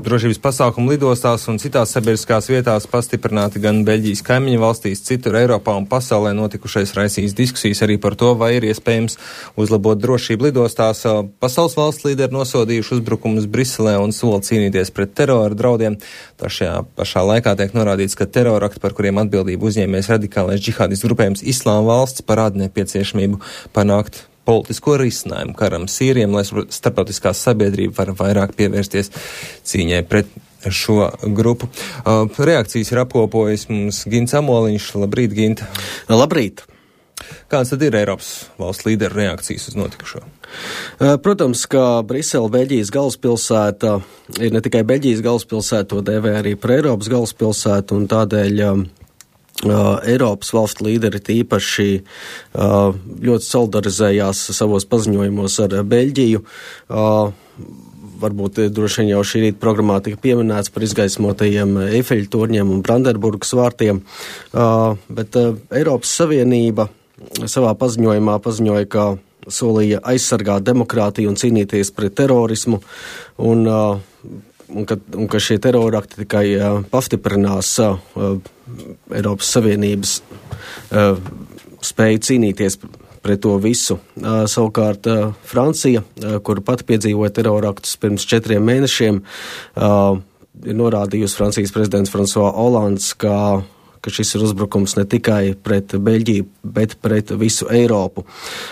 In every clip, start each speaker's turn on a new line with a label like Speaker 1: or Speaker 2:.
Speaker 1: drošības pasākumu lidostās un citās sabiedriskās vietās pastiprināti gan Beļģijas kaimiņu valstīs, citur Eiropā un pasaulē notikušais raisīs diskusijas arī par to, vai ir iespējams uzlabot drošību lidostās. Pasaules valsts līderi nosodījuši uzbrukumus Briselē un sola cīnīties pret terora draudiem. Šajā pašā laikā tiek norādīts, ka terorakti, par kuriem atbildību uzņēmies radikālais džihādistu grupējums Islāma valsts, parāda nepieciešamību panākt politisko risinājumu karam Sīrijam, lai starptautiskā sabiedrība var vairāk pievērsties cīņai pret šo grupu. Reakcijas ir apkopojis mums Gints Amoliņš. Labrīt, Ginta.
Speaker 2: Labrīt.
Speaker 1: Kāds tad ir Eiropas valsts līderu reakcijas uz notikušo?
Speaker 2: Protams, ka Brisele, Beļģijas galvaspilsēta, ir ne tikai Beļģijas galvaspilsēta, to dēvē arī par Eiropas galvaspilsētu, un tādēļ Eiropas valstu līderi tīpaši ļoti solidarizējās savos paziņojumos ar Beļģiju. Varbūt droši vien jau šī rīta programmā tika pieminēts par izgaismotajiem Eifeļa torņiem un Brandenburgas vārtiem, bet Eiropas Savienība savā paziņojumā paziņoja, ka solīja aizsargāt demokrātiju un cīnīties pret terorismu, un ka šie terorakti tikai pastiprinās Eiropas Savienības spēju cīnīties pret to visu. Savukārt Francija, kur pat piedzīvoja teroraktus pirms 4 mēnešiem, ir norādījusi Francijas prezidents François Hollands, ka šis ir uzbrukums ne tikai pret Beļģiju, bet pret visu Eiropu.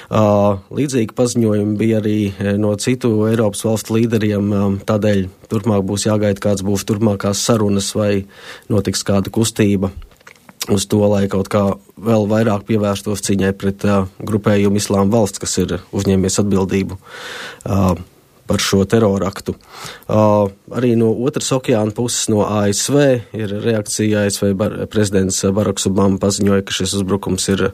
Speaker 2: Līdzīgi paziņojumi bija arī no citu Eiropas valstu līderiem, tādēļ turpmāk būs jāgaida, kāds būs turpmākās sarunas vai notiks kāda kustība uz to, lai kaut kā vēl vairāk pievērstos cīņai pret grupējumu Islāma valsts, kas ir uzņēmies atbildību par šo teroraktu. Arī no otras okeāna puses, no ASV, ir reakcija. ASV prezidents Baraks Obama paziņoja, ka šis uzbrukums ir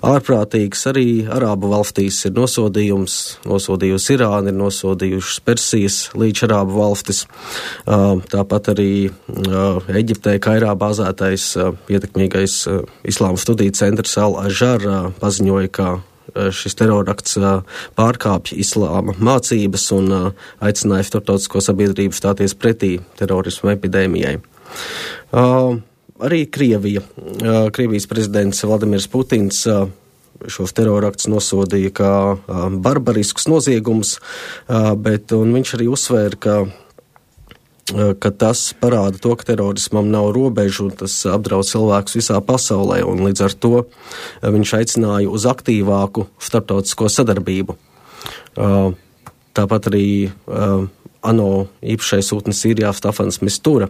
Speaker 2: ārprātīgs. Arī Arābu valstīs ir nosodījusi Irāna, ir nosodījušas Persijas līdz Arābu valstis. Tāpat arī Eģiptē, Kairā bāzētais ietekmīgais Islāma studiju centrs Al-Azhar paziņoja, ka šis terorakts pārkāpj islāma mācības un aicināja starptautisko sabiedrību stāties pretī terorismu epidēmijai. Arī Krievijas prezidents Vladimirs Putins šos teroraktus nosodīja kā barbariskus noziegumus, bet viņš arī uzsvēra, ka tas parāda to, ka terorismam nav robežu, un tas apdraud cilvēkus visā pasaulē, un līdz ar to viņš aicināja uz aktīvāku starptautisko sadarbību. Tāpat arī ANO īpašais sūtnis Sīrijā Stafans Mistura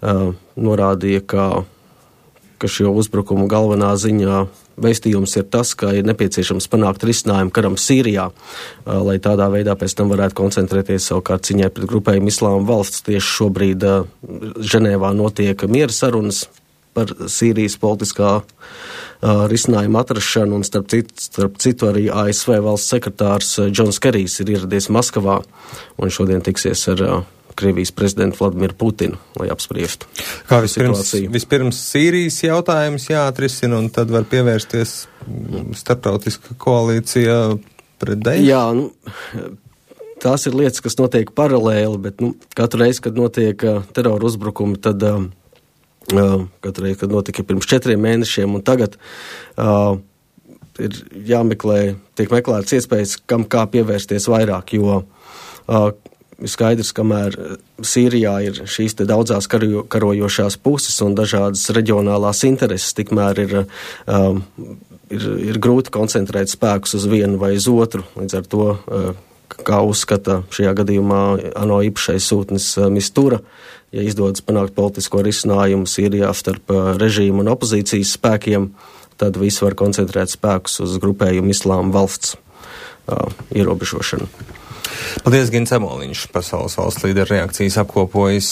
Speaker 2: norādīja, ka šo uzbrukumu galvenā ziņā vēstījums ir tas, ka ir nepieciešams panākt risinājumu karam Sīrijā, lai tādā veidā pēc tam varētu koncentrēties savukārt ciņai pret grupējumu Islāma valsts. Tieši šobrīd Ženēvā notiek miera sarunas par Sīrijas politiskā risinājuma atrašanu, un starp citu arī ASV valsts sekretārs Džons Kerijs ir ieradies Maskavā un šodien tiksies ar Krievijas prezidentu Vladimiru Putinu, lai apspriestu situāciju. Vispirms
Speaker 1: Sīrijas jautājums jāatrisina, un tad var pievērsties starptautiska koalīcija pret Daešu?
Speaker 2: Jā, tās ir lietas, kas notiek paralēli, bet katru reizi, kad notiek terora uzbrukumi, tad katru reizi, kad notika pirms 4 mēnešiem, un tagad ir tiek meklētas iespējas, kā pievērsties vairāk, jo skaidrs, kamēr Sīrijā ir šīs te daudzās karojošās puses un dažādas reģionālās intereses, tikmēr ir grūti koncentrēt spēkus uz vienu vai uz otru. Līdz ar to, kā uzskata šajā gadījumā ANO īpašais sūtnis Mistura, ja izdodas panākt politisko risinājumu Sīrijā starp režīmu un opozīcijas spēkiem, tad visi var koncentrēt spēkus uz grupējumu Islāma valsts ierobežošanu.
Speaker 1: Paldies, Gints Amoliņš, pasaules valsts līderu reakcijas apkopojas.